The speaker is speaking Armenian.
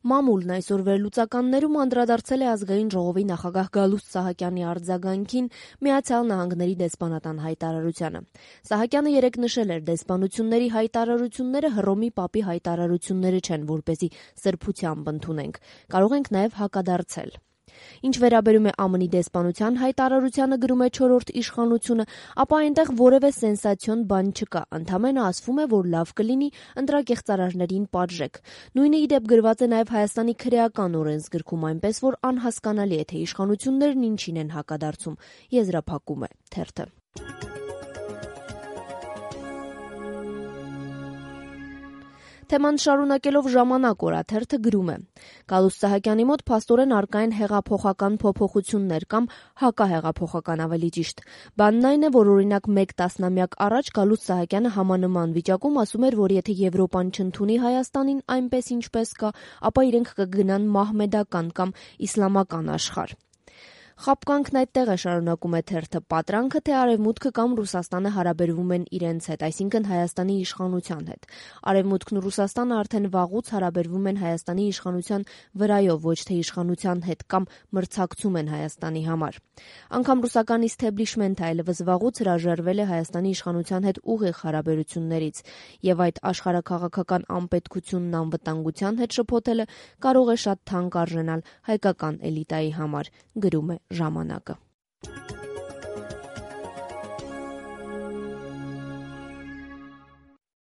Մամուլն այսօր վերլուծականներում անդրադարձել է Ազգային ժողովի նախագահ Գալուստ Սահակյանի արձագանքին Միացյալ Նահանգների դեսպանատան հայտարարությանը։ Սահակյանը երեկ նշել էր, դեսպանությունների հայտարարությունները Հռոմի Պապի հայտարարությունները չեն, որպեսզի սրբությամբ ընդունենք։ Կարող ենք նաև հակադարձել։ Ինչ վերաբերում է ԱՄՆ-ի դեսպանության հայտարարությանը, գրում է Չորրորդ իշխանությունը, ապա այնտեղ որևէ սենսացիոն բան չկա, ընդամենը ասվում է, որ լավ կլինի ընտրակեղծարարներին պատժեք։ Նույնը ի դեպ գրված է նաև Հայաստանի քրեական օրենսգրքում, այնպես որ անհասկանալի է, թե իշխանություններն ինչին են հակադարձում, եզրափակում է թերթը։ Թեման շարունակելով Ժամանակ օրաթերթը գրում է. Գալուստ Սահակյանի մոտ փաստորեն առկա են հեղափոխական փոփոխություններ կամ հակահեղափոխական ավելի ճիշտ։ Բանն այն է, որ օրինակ 1 տասնամյակ առաջ Գալուստ Սահակյանը համանման վիճակում ասում էր, որ եթե Եվրոպան չընդունի Հայաստանին այնպես ինչպես կա, ապա իրենք կգնան մահմեդական կամ իսլամական աշխարհ։ Խաբկանքն այդտեղ է, շարունակում է թերթը, պատրանքը, թե Արևմուտքը կամ Ռուսաստանը հարաբերվում են իրենց հետ, այսինքն Հայաստանի իշխանության հետ։ Արևմուտքն ու Ռուսաստանը արդեն վաղուց հարաբերվում են Հայաստանի իշխանության վրայով, ոչ թե իշխանության հետ կամ մրցակցում են Հայաստանի համար։ Անգամ ռուսական իսթեբլիշմենթը այլևս վաղուց հրաժարվել է Հայաստանի իշխանության հետ ուղիղ հարաբերություններից, եւ այդ աշխարհաքաղաքական անպետքությունն անվտանգության հետ շփոթելը կարող է շատ թանկ արժենալ հայկական էլիտայի համար, գրում է Ժամանակը։